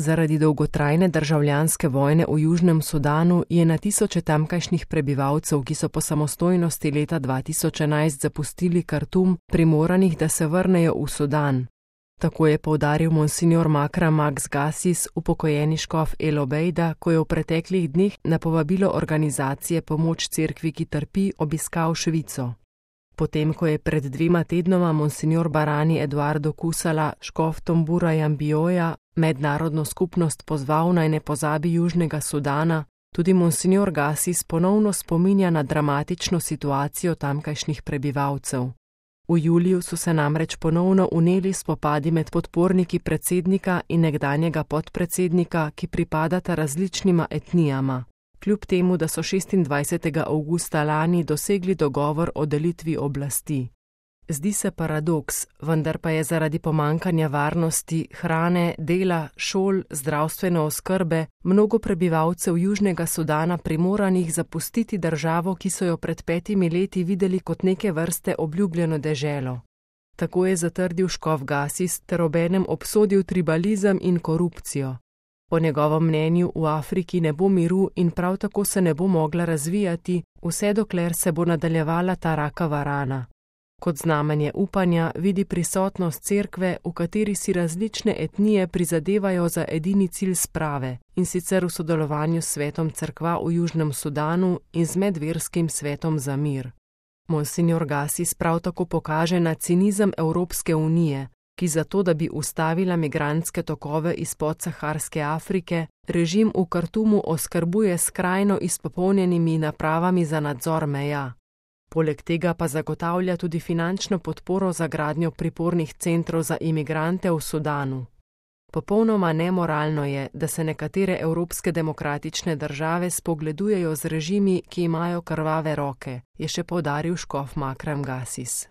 Zaradi dolgotrajne državljanske vojne v Južnem Sudanu je na tisoče tamkajšnjih prebivalcev, ki so po samostojnosti leta 2011 zapustili Kartum, primoranih, da se vrnejo v Sudan. Tako je poudaril monsignor Makram Max Gasis, upokojeni škof El Obeida, ko je v preteklih dneh na povabilo organizacije Pomoč cerkvi, ki trpi, obiskal Švico. Potem, ko je pred 2 tednoma monsignor Barani Eduardo Kusala, škof Tombura Jambioja, mednarodno skupnost pozval, naj ne pozabi Južnega Sudana, tudi monsignor Gasis ponovno spominja na dramatično situacijo tamkajšnjih prebivalcev. V juliju so se namreč ponovno vneli spopadi med podporniki predsednika in nekdanjega podpredsednika, ki pripadata različnima etnijama. Kljub temu, da so 26. avgusta lani dosegli dogovor o delitvi oblasti. Zdi se paradoks, vendar pa je zaradi pomanjkanja varnosti, hrane, dela, šol, zdravstvene oskrbe mnogo prebivalcev Južnega Sudana primoranih zapustiti državo, ki so jo pred 5 leti videli kot neke vrste obljubljeno deželo. Tako je zatrdil škof Gasis ter obenem obsodil tribalizem in korupcijo. Po njegovem mnenju v Afriki ne bo miru in prav tako se ne bo mogla razvijati, vse dokler se bo nadaljevala ta rakava rana. Kot znamenje upanja vidi prisotnost cerkve, v kateri si različne etnije prizadevajo za edini cilj sprave, in sicer v sodelovanju s svetom cerkva v Južnem Sudanu in z medverskim svetom za mir. Monsignor Gasis prav tako pokaže na cinizem Evropske unije, ki zato, da bi ustavila migrantske tokove iz podsaharske Afrike, režim v Kartumu oskrbuje skrajno izpopolnjenimi napravami za nadzor meja. Poleg tega pa zagotavlja tudi finančno podporo za gradnjo pripornih centrov za imigrante v Sudanu. Popolnoma nemoralno je, da se nekatere evropske demokratične države spogledujejo z režimi, ki imajo krvave roke, je še poudaril škof Makram Gasis.